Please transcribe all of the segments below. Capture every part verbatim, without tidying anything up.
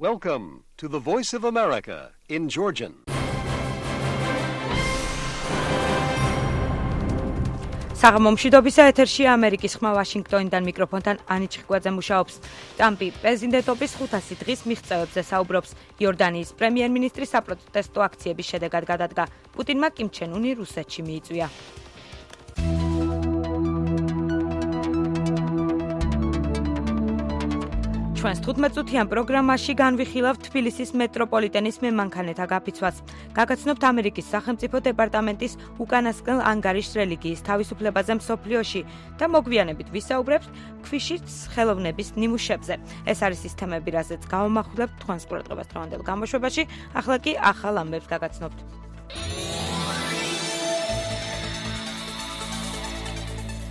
Welcome to the Voice of America in Georgian. საღამომშვიდობისა ეთერშია ამერიკის ხმა ვაშინგტონიდან მიკროფონთან ანი ჩხიკვაძე მუშაობს. ტრამპი პრეზიდენტობის ხუთასი დღის მიღწევებზე საუბრობს. იორდანიის პრემიერ-მინისტრი საპროტესტო აქციების შედეგად გადადგა. პუტინმა კიმ ჩენ უნი რუსეთში მიიწვია. ჩვენს თხუთმეტწუთიან პროგრამაში განვიხილავთ თბილისის მეტროპოლიტენის მემანქანეთა გაფიცვას. გაგაცნობთ ამერიკის სახელმწიფო დეპარტამენტის უკანასკნელ ანგარიშს რელიგიის თავისუფლებაზე მსოფლიოში და მოგვიანებით ვისაუბრებთ ქვიშის ხელოვნების ნიმუშებზე. ეს არის ის თემები, რაზეც გავამახვილებთ თქვენს ყურადღებას დღევანდელ გამოშვებაში. ახლა კი ახალ ამბებს გაგაცნობთ.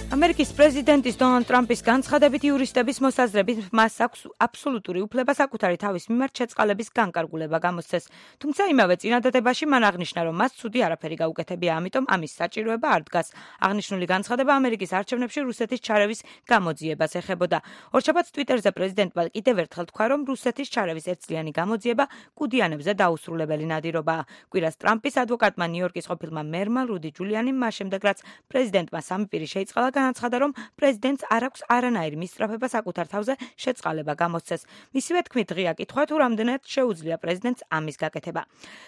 ამერიკის პრეზიდენტის დონალდ ტრამპის განცხადებით იურისტების მოსაზრებით მას აქვს აბსოლუტური უფლება საკუთარი თავის მიმართ შეწყალების განკარგულება გამოსცეს. თუმცა იმავე წინადადებაში მან აღნიშნა, რომ მას ცუდი არაფერი გაუკეთებია, ამიტომ ამის საჭიროება არ დგას. აღნიშნული განცხადება ამერიკის არჩევნებში რუსეთის ჩარევის გამოძიებას ეხებოდა. ორშაბათს ტვიტერზე პრეზიდენტმა კიდევ ერთხელ თქვა, რომ რუსეთის ჩარევის ერთწლიანი გამოძიება კუდიანებზე დაუსრულებელი ნადირობაა. კვირას ტრამპის ადვოკატმა ნიუ-იორკის ყოფილმა მერმა რუდი ჯულიანიმ მას შემდეგ, რაც პრეზიდენტმა სამი პირი შეიწყალა, განაცხადა, რომ პრეზიდენტს არ აქვს არანაირი მისწრაფება საკუთარ თავზე შეწყალება გამოსცეს. მისივე თქმით, ღია კითხვა თუ რამდენად შეუძლია პრეზიდენტს ამის გაკეთება.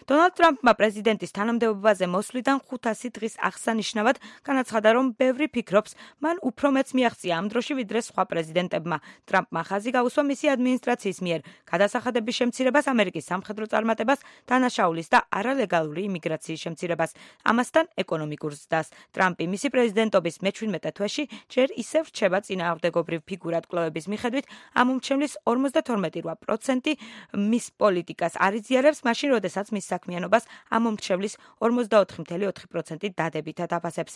დონალდ ტრამპმა პრეზიდენტის თანამდებობაზე მოსვლიდან ხუთასი დღის აღსანიშნავად განაცხადა, რომ ბევრი ფიქრობს, მან უფრო მეც მიაღწია ამ დროში ვიდრე სხვა პრეზიდენტებმა. ტრამპმა ხაზი გაუსვა მისი ადმინისტრაციის მიერ გადასახადების შემცირებას, ამერიკის სამხედრო წარმატებას, დანაშაულის და არალეგალური იმიგრაციის შემცირებას, ამასთან ეკონომიკურ ზრდას. ტრამპი მისი პრეზიდენტობის მეჩვიდმეტე თვეში ჯერ ისევ რჩება წინააღმდეგობრივ ფიგურად კვლევების მიხედვით, ამ უმჩევლის ორმოცდათორმეტი პროცენტი მის პოლიტიკას არ იზიარებს, მაშინ როდესაც მის საქმიანობას ამ უმჩევლის ორმოცდაოთხი წამლ ოთხი პროცენტი დადებითად აფასებს.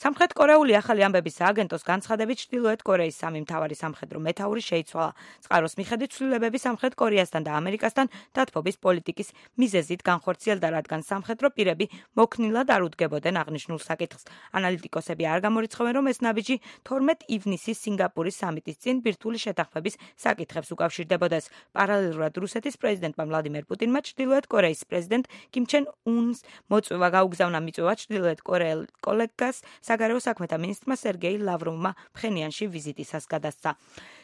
სამხრეთ კორეული ახალი ამბების სააგენტოს განცხადებით, ჩრდილოეთ კორეის სამი მთავარი სამხედრო მეთაური შეიცვალა. წყაროს მიხედვით ცვლილებები სამხრეთ კორეასთან და ამერიკასთან დათბობის პოლიტიკის მიზეზით განხორციელდა, რადგან სამხედრო პირები მოქნილად არ უდგებოდნენ აღნიშნულ საკითხს. ანალიტიკოსები არ გამორიცხავენ, რომ ეს ნაბიჯი თორმეტ ივნისის სინგაპურის სამიტის წინ ბირთვული შეთანხმების საკითხებს უკავშირდებოდეს. პარალელურად რუსეთის პრეზიდენტმა ვლადიმერ პუტინმა ჩრდილოეთ კორეის პრეზიდენტ კიმ ჩენ უნს მოწვევა გაუგზავნა მიწვევა ჩრდილოეთ კორეელ კოლეგას საგარეო საქმეთა მინისტრმა სერგეი ლავროვმა ფხენიანში ვიზიტისას გადასცა.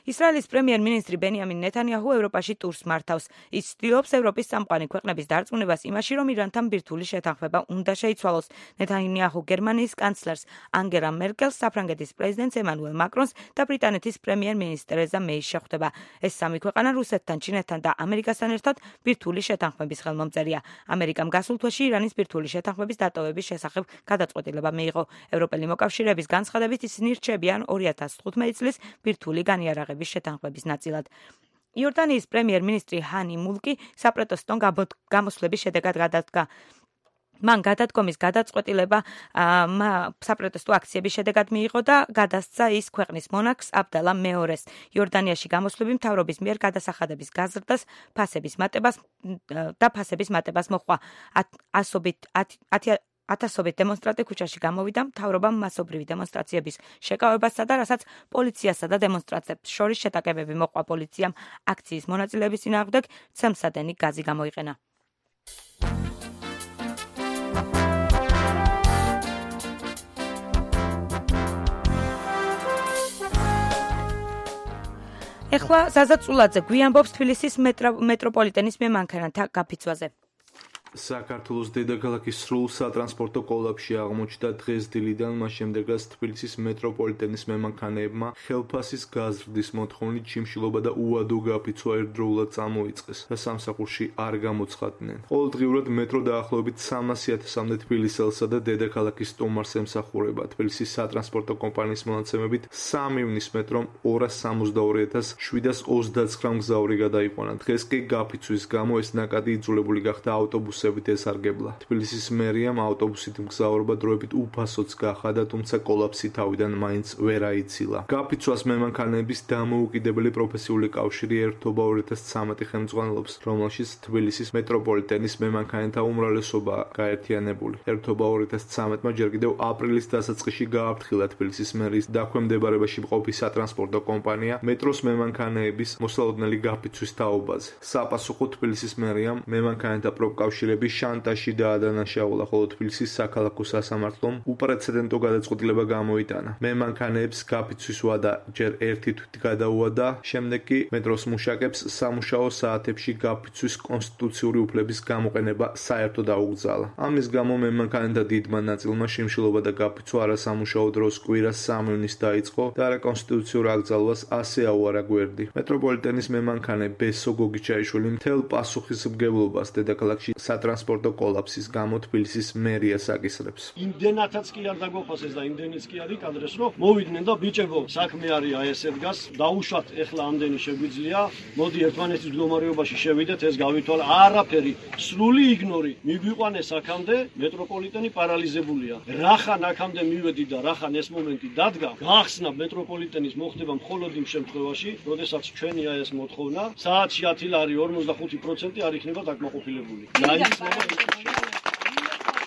ისრაელის პრემიერ-მინისტრი ბენიამინ ნეთანიაჰუ ევროპაში ტურს მართავს. ის ცდილობს ევროპის წამყვანი ქვეყნების დარწმუნებას იმაში, რომ ირანთან ბირთვული შეთანხმება უნდა შეიცვალოს. ნეთანიაჰუ გერმანიის კანცლერს ანგელა მერკელს, საფრანგეთის პრეზიდენტს ემანუელ მაკრონს და ბრიტანეთის პრემიერ-მინისტრ ტერეზა მეის შეხვდება. ეს სამი ქვეყანა რუსეთთან, ჩინეთთან და ამერიკასთან ერთად ბირთვული შეთანხმების ხელმომწერია. ამერიკამ გასულ თვეში ირანის ბირთვული შეთანხმების დატოვების შესახებ გადაწყვეტილება მიიღო. ევროპელი მოკავშირეების განცხადებით ისინი რჩებიან ორი ათას თხუთმეტი წლის ბირთვული განიარაღების შეთანხმების ნაწილად. იორდანიის პრემიერ-მინისტრი ჰანი მულკი საპროტესტო გამოსვლების შედეგად გადადგა. მან გადადგომის გადაწყვეტილება საპროტესტო აქციების შედეგად მიიღო და გადასცა ის ქვეყნის მონარქს აბდალა მეორეს. იორდანიაში გამოსვლები მთავრობის მიერ გადასახადების გაზრდას, ფასების მატებას და ფასების მატებას მოჰყვა. ასობით ათასობით დემონსტრანტი ქუჩაში გამოვიდა, მთავრობამ მასობრივი დემონსტრაციების შეკავებასა და რასაც პოლიციასა და დემონსტრანტებს შორის შეტაკებები მოჰყვა. პოლიციამ აქციის მონაწილეების წინააღმდეგ ცემსადენი გაზი გამოიყენა. ეხლა ზაზა წულაძე გვიამბობს თბილისის მეტროპოლიტენის მემანქანათა გაფიცვაზე. საქართველოს დედაქალაქის სრულ სატრანსპორტო კოლაფში აღმოჩნდა დღეს დილიდან, მას შემდეგ რაც თბილისის მეტროპოლიტენის მემანქანეებმა ხელფასის გაზრდის მოთხოვნით ჩიმშილობა და უადო გაფიცვა ერთდროულად წამოიწყეს და სამსახურში არ გამოცხადდნენ. ყოველდღიურად მეტრო დაახლოებით სამასი ათასამდე თბილისელსა და დედაქალაქის სტუმარს ემსახურება. თბილისის სატრანსპორტო კომპანიის მონაცემებით სამი ივნის მეტრომ ორას სამოცდაორი ათას შვიდას ოცდაცხრა მგზავრი გადაიყვანა. დღეს კი გაფიცვის გამო ეს ნაკადი იძულებული გახდა ავტობუსი ავტობუსებით ესარგებლა. თბილისის მერიამ აუტობუსით მგზავრობა დროებით უფასოც გახადა, თუმცა კოლაფსი თავიდან მაინც ვერ აიცილა. გაფიცვას მემანქანეების დამოუკიდებელი პროფესიული კავშირი ერთობა ორი ათას ცხრამეტი ხელმძღვანელობს, რომელშიც თბილისის მეტროპოლიტენის მემანქანეთა უმრავლესობა გაერთიანებული. ერთობა ორი ათას ცხრამეტმა ჯერ კიდევ აპრილის დასაწყისში გააფრთხილა თბილისის მერის დაქვემდებარებაში მყოფი სატრანსპორტო კომპანია მეტროს მემანქანეების მოსალოდნელი გაფიცვის თაობაზე. საპასუხო თბილისის მერიამ მემანქანეთა პროფკავშირების შანტაჟში დაადანაშაულა, ხოლო თბილისის საქალაქო სასამართლომ უპრეცედენტო გადაწყვეტილება გამოიტანა. მემანქანეებს გაფიცვის ვადა ჯერ ერთი თვით გადაუადა, შემდეგ კი მეტროს მუშაკებს სამუშაო საათებში გაფიცვის კონსტიტუციური უფლების გამოყენება საერთოდ აუგზალა. ამის გამო მემანქანეთა დიდმა ნაწილმა შიმშილობა და გაფიცვა არასამუშაო დროს კვირას სამი ივნის დაიწყო და არაკონსტიტუციურ აკრძალვას ასე აუარა გვერდი. მეტროპოლიტენის მემანქანე ბესო გოგიჩაიშვილი მთელ პასუხისმგებლობას დედაქალაქში სატრანსპორტო კოლაფსის გამო თბილისის მერიას აკისრებს. იმდენათაც კი არ დაგოფასეს და იმდენიც კი არ იკადრეს, რომ მოვიდნენ და ბიჭებო, საქმე არის აი ესე დგას, დაუშვათ ეხლა ამდენი შეგვიძლია, მოდი ერთმანეთის მდგომარეობაში შევიდეთ, ეს გავითვალა, არაფერი, სრული იგნორი. მიგვიყვანეს აქამდე, მეტროპოლიტენი პარალიზებულია. რახან აქამდე მივედი და რახან ეს მომენტი დადგა, გახსნა მეტროპოლიტენის მოხდება მხოლოდ იმ შემთხვევაში, როდესაც ჩვენი აი ეს მოთხოვნა საათში ათი ლარი ორმოცდახუთი პროცენტი არ იქნება დაკმაყოფილებული.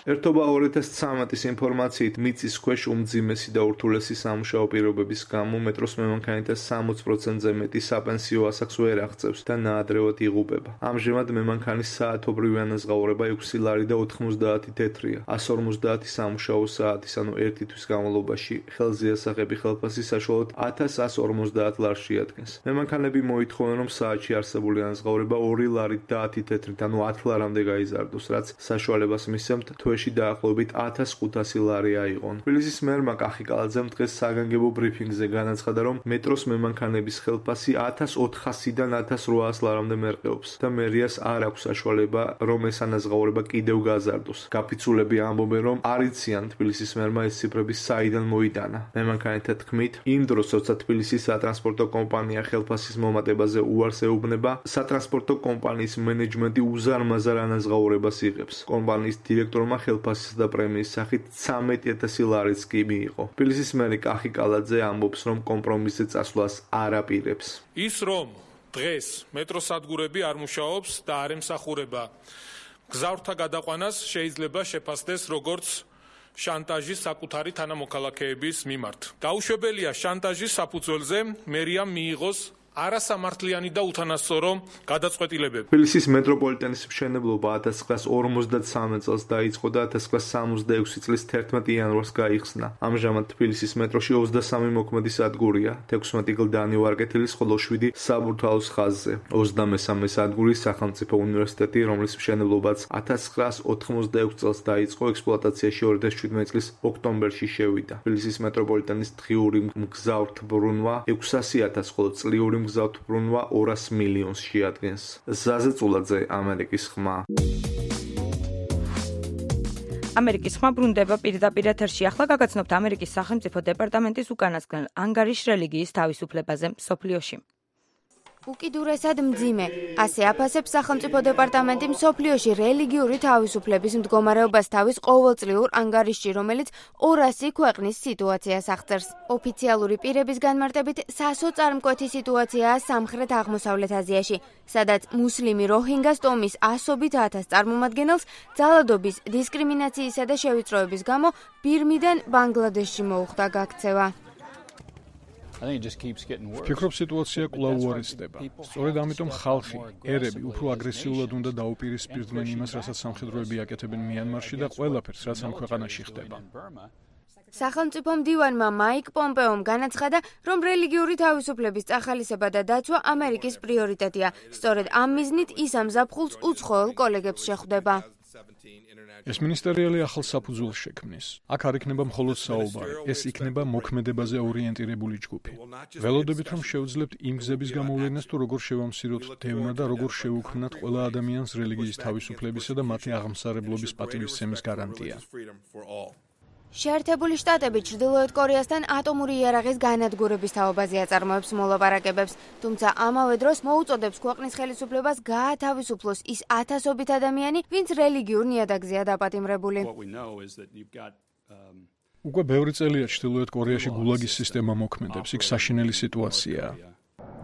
ერთობა ორი ათას ცხრამეტის ინფორმაციით მიწის ქვეშ უმძიმესი და ურთულესი სამუშაო პირობების გამო მეტროს მემანქანეთა სამოცი პროცენტზე მეტი საპენსიო ასაკს ვერ აღწევს და ნაადრევად იღუპება. ამჟამად მემანქანის საათობრივი ანაზღაურება ექვსი ლარი და ოთხმოცდაათი თეთრია. ასი ორმოცდაათი სამუშაო საათის, ანუ ერთი თვის განმავლობაში ხელზე ასაღები ხელფასი საშუალოდ ათას ასი ორმოცდაათ ლარს შეადგენს. მემანქანები მოითხოვენ, რომ საათში არსებული ანაზღაურება ორი ლარით და ათი თეთრით, ანუ ათი ლარამდე გაიზარდოს, რაც საშუალებას მისცემთ თვეში დაახლოებით ათას ხუთასი ლარი აიღონ. თბილისის მერმა კახიკალაძემ დღეს საგანგებო ბრიფინგზე განაცხადა, რომ მეტროს მემანქანების ხელფასი ათას ოთხასიდან ათას რვაას ლარამდე მერყეობს და მერიას არ აქვს საშუალება, რომ ეს ანაზღაურება კიდევ გაზარდოს. გაფიცულები ამბობენ, რომ არ იციან თბილისის მერმა ეს ციფრები საიდან მოიტანა. მემანქანეთა თქმით, იმ დროს, როცა თბილისის სატრანსპორტო კომპანია ხელფასის მომატებაზე უარს ეუბნება, სატრანსპორტო კომპანიის მენეჯმენტი უზარმაზარ ანაზღაურებას იღებს. კომპანიის დირექტორმა ხელფასის და პრემიის სახით ცხრამეტი ათასი ლარიც კი მიიღო. თბილისის მერი კახიკალაძე ამბობს, რომ კომპრომისზე წასვლას არ აპირებს. ის რომ დღეს მეტროსადგურები არ მუშაობს და არ ემსახურება გზავრთა გადაყვანას შეიძლება შეფასდეს როგორც შანტაჟის საკუთარი თანამოქალაქეების მიმართ. დაუშვებელია შანტაჟის საფუძველზე მერიამ მიიღოს არასამართლიანი და უთანასწორო გადაწყვეტილებები. თბილისის მეტროპოლიტენის მშენებლობა ათას ცხრაას ორმოცდათსამეტ წელს დაიწყო და ათას ცხრაას სამოცდაექვსი წლის თერთმეტი იანვარს გაიხსნა. ამჟამად თბილისის მეტროში ოცდასამი მოქმედი სადგურია, თექვსმეტი გლდანი ვარკეთილის, ხოლო შვიდი საბურთალოს ხაზზე. ოცდამესამე სადგური სახელმწიფო უნივერსიტეტი, რომლის მშენებლობაც ათას ცხრაას ოთხმოცდაექვსი წელს დაიწყო, ექსპლუატაციაში ორი ათას შვიდმეტი წლის ოქტომბერში შევიდა. თბილისის მეტროპოლიტენის დღიური მგზავრთბრუნვა ექვსასი ათას, ხოლო წლიური მგზავრთბრუნვა ორას მილიონს შეადგენს. ზაზე წულაძე, ამერიკის ხმა. ამერიკის ხმა ბრუნდება პირდაპირ ეთერში. ახლა გაგაცნობთ ამერიკის სახელმწიფო დეპარტამენტის უკანასკნელ ანგარიშ რელიგიის თავისუფლებაზე მსოფლიოში. უკიდურესად მძიმე, ასე აფასებს სახელმწიფო დეპარტამენტი მსოფლიოში რელიგიური თავისუფლების მდგომარეობას თავის ყოველწლიურ ანგარიშში, რომელიც ორასი ქვეყნის სიტუაციას აღწერს. ოფიციალური პირების განმარტებით, სასოწარმკვეთი სიტუაციაა სამხრეთ აღმოსავლეთ აზიაში, სადაც მუსლიმი როჰინგას ტომის ასობით ათას წარმომადგენელს ძალადობის, დისკრიმინაციისა და შევიწროების გამო ბირმიდან ბანგლადეშში მოუხდა გაქცევა. ვფიქრობ, სიტუაცია კვლავ უარესდება. სწორედ ამიტომ ხალხი, ერები უფრო აგრესიულად უნდა დაუპირისპირდნენ იმას, რასაც სამხედროები აკეთებენ მიანმარში და ყველაფერს, რაც ამ ქვეყანაში ხდება. სახელმწიფო მდივანმა მაიკ პომპეომ განაცხადა, რომ რელიგიური თავისუფლების წახალისება და დაცვა ამერიკის პრიორიტეტია. სწორედ ამ მიზნით ის ამ ზაფხულს უცხოელ კოლეგებს შეხვდება. ეს მინისტერიალი ახალ საფუძველს შექმნის. აქ არ იქნება მხოლოდ საუბარი, ეს იქნება მოქმედებაზე ორიენტირებული ჯგუფი. ველოდებით, რომ შევძლებთ იმ გზების გამოვლენას, თუ როგორ შევამციროთ დევნა და როგორ შევუქმნათ ყველა ადამიანს რელიგიის თავისუფლებისა და მათი აღმსარებლობის პატივისცემის გარანტია. შეერთებული შტატები ჩრდილოეთ კორეასთან ატომური იარაღის განადგურების თაობაზე აწარმოებს მოლაპარაკებებს, თუმცა ამავე დროს მოუწოდებს ქვეყნის ხელისუფლებას გაათავისუფლოს ის ათასობით ადამიანი, ვინც რელიგიურ ნიადაგზეა დაპატიმრებული. უკვე ბევრი წელია ჩრდილოეთ კორეაში გულაგის სისტემა მოქმედებს, იქ საშინელი სიტუაციაა.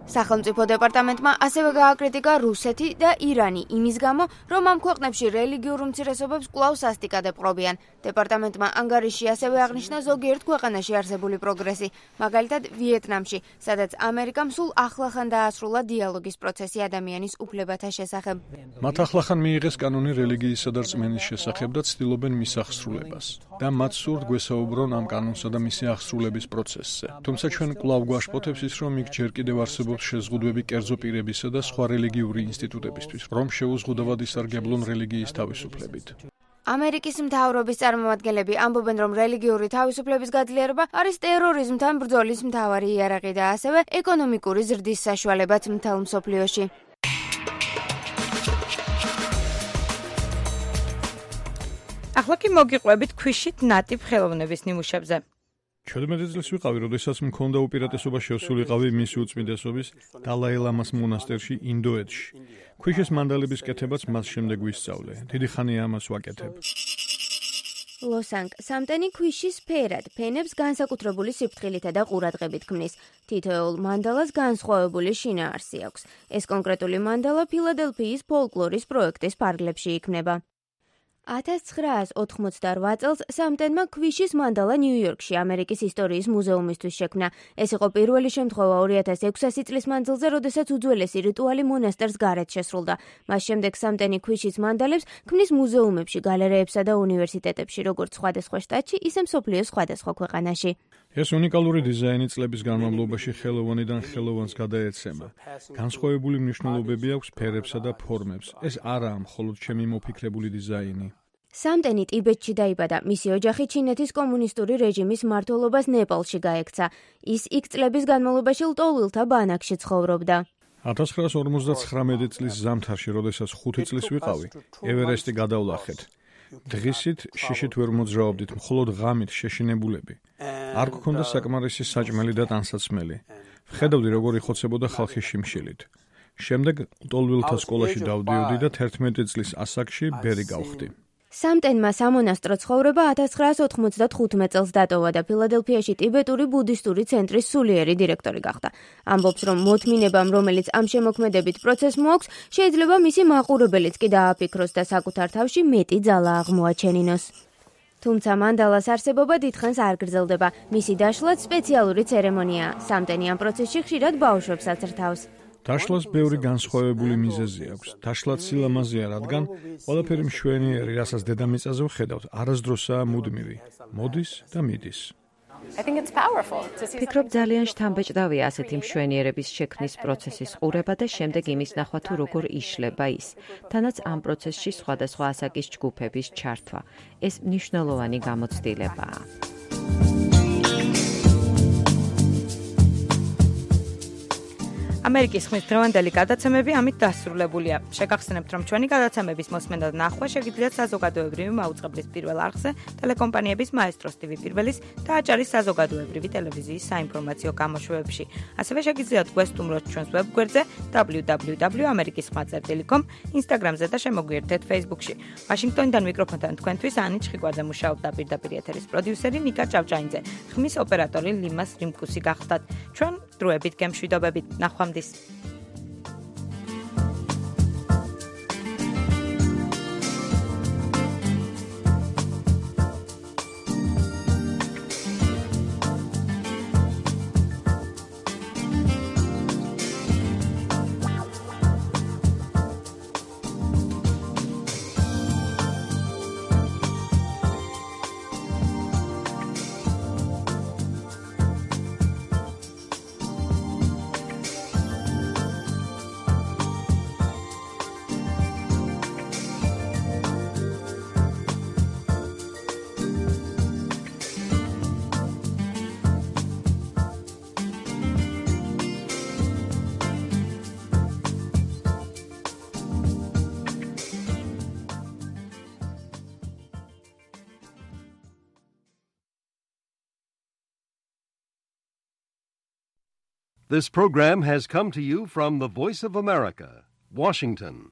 სახელმწიფო დეპარტამენტმა ასევე გააკრიტიკა რუსეთი და ირანი იმის გამო, რომ ამ ქვეყნებში რელიგიურ უმცირესობებს კვლავ სასტიკად ეპყრობიან. დეპარტამენტმა ანგარიში ასევე აღნიშნა ზოგიერთ ქვეყანაში არსებული პროგრესი, მაგალითად ვიეტნამში, სადაც ამერიკამ სულ ახლახან დაასრულა დიალოგის პროცესი ადამიანის უფლებათა შესახებ. მათ ახლახან მიიღეს კანონი რელიგიისა და რწმენის შესახებ და ცდილობენ მის აღსრულებას. და მათ სურთ გვესაუბრონ ამ კანონსა და მისი აღსრულების პროცესზე. თუმცა ჩვენ კვლავ გვაშფოთებს ის, რომ იქ ჯერ კიდევ არსებობს შეზღუდვები კერძო პირებისა და სხვა რელიგიური ინსტიტუტებისთვის, რომ შეუზღუდავად ისარგებლონ რელიგიის თავისუფლებით. ამერიკის მთავრობის წარმომადგენლები ამბობენ, რომ რელიგიური თავისუფლების გაძლიერება არის ტერორიზმთან ბრძოლის მთავარი იარაღი და ასევე ეკონომიკური ზრდის საშუალებაც მთელ მსოფლიოში. ახლა კი მოგიყვებით ქვიშით ნატიფ ხელოვნების ნიმუშებზე. ჩვენმეტი წლის ვიყავი, როდესაც მქონდა უპირატესობა შევსულიყავი მისი უწმიდესობის დალაი ლამას მონასტერში ინდოეთში. ქვიშის მანდალების კეთებაც მას შემდეგ ვისწავლე. დიდი ხანია ამას ვაკეთებ. ლოსანკ სამტენი ქვიშის ფერად, ფენებს განსაკუთრებული სიფრთხილითა და ყურადღებით ქმნის. თითოეულ მანდალას განსხვავებული შინაარსი აქვს. ეს კონკრეტული მანდალა ფილადელფიის ფოლკლორის პროექტის ფარგლებში იქმნება. ათას ცხრაას ოთხმოცდარვა წელს სამტენმა ქვიშის მანდალა ნიუ-იორკში ამერიკის ისტორიის მუზეუმისთვის შექმნა. ეს იყო პირველი შემთხვევა ორი ათას ექვსასი წლის მანძილზე, როდესაც უძველესი რიტუალი მონასტერს გარეთ შესრულდა. მას შემდეგ სამტენი ქვიშის მანდალებს ქმნის მუზეუმებში, გალერეებსა და უნივერსიტეტებში, როგორც სხვადასხვა შტატში, ისე მსოფლიოს სხვადასხვა ქვეყანაში. ეს უნიკალური დიზაინი წლების განმავლობაში ხელოვანიდან ხელოვანს გადაეცემა. განსხვავებული მნიშვნელობები აქვს ფერებსა და ფორმებს. ეს არაა მხოლოდ ჩემი მოფიქრებული დიზაინი. სამტენი ტიბეტში დაიბადა, მისი ოჯახი ჩინეთის კომუნისტური რეჟიმის მმართველობას ნეპალში გაექცა. ის იქ წლების განმავლობაში ლტოლვილთა ბანაკში ცხოვრობდა. ათას ცხრაას ორმოცდაცხრამეტი წლის ზამთარში, როდესაც ხუთი წლის ვიყავი, ევერესტი გადავლახეთ. დღისით შიშით ვერ მოძრაობდით, მხოლოდ ღამით შეშინებულები. არ გქონდა საკმარისი საჭმელი და ტანსაცმელი. ვხედავდი, როგორ იხოცებოდა ხალხი შიმშილით. შემდეგ ლტოლვილთა სკოლაში დავდიოდი და თერთმეტი წლის ასაკში ბერი გავხდი. სამტენმა სამონასტრო ცხოვრება ათას ცხრაას ოთხმოცდათხუთმეტ წელს დატოვა და ფილადელფიაში ტიბეტური ბუდისტური ცენტრის სულიერი დირექტორი გახდა. ამბობს, რომ მოთმინებამ, რომელიც ამ შემოქმედებით პროცესს მოაქვს, შეიძლება მისი მაყურებელიც კი დააფიქროს და საკუთარ თავში მეტი ძალა აღმოაჩენინოს. თუმცა მანდალას არსებობა დიდხანს არ გრძელდება. მისი დაშლაც სპეციალური ცერემონიაა. სამტენი ამ პროცესში ხშირად ბავშვებს აცრთავს. დაშლას ბევრი განსხვავებული მიზეზი აქვს. დაშლაც სილამაზეა, რადგან ყველაფერი მშვენიერი, რასაც დედამიწაზე ვხედავთ, არასდროსაა მუდმივი. მოდის და მიდის. ფიქრობ, ძალიან შთამბეჭდავია ასეთი მშვენიერების შექმნის პროცესის ყურება და შემდეგ იმის ნახვა, თუ როგორ იშლება ის. თანაც ამ პროცესში სხვადასხვა ასაკის ჯგუფების ჩართვა. ეს მნიშვნელოვანი გამოცდილებაა. ამერიკის ხმის დღევანდელი გადაცემები ამით დასრულებულია. შეგახსენებთ, რომ ჩვენი გადაცემების მოსმენა და ნახვა შეგიძლიათ საზოგადოებრივი მაუწყებლის პირველ არხზე, ტელეკომპანიების მაესტროს ტივი პირველის და აჭარის საზოგადოებრივი ტელევიზიის საინფორმაციო გამოშვებებში. ასევე შეგიძლიათ გვესტუმროთ ჩვენს ვებგვერდზე დაბლიუ დაბლიუ დაბლიუ 점 ამერიკის ხმა წერტილი კომ, ინსტაგრამზე და შემოგვიერთეთ ფეისბუქში. ვაშინგტონიდან მიკროფონთან თქვენთვის ანი ჩხიკვაძე მუშაობდა, პირდაპირ ეთერის პროდიუსერი ნიკა ჭავჭაინძე, ხმის ოპერატორი ლიმას რიმკუსი გახდათ. ჩვენ დროებით გემშვიდობებით. ნახვამდის. This program has come to you from the Voice of America, Washington.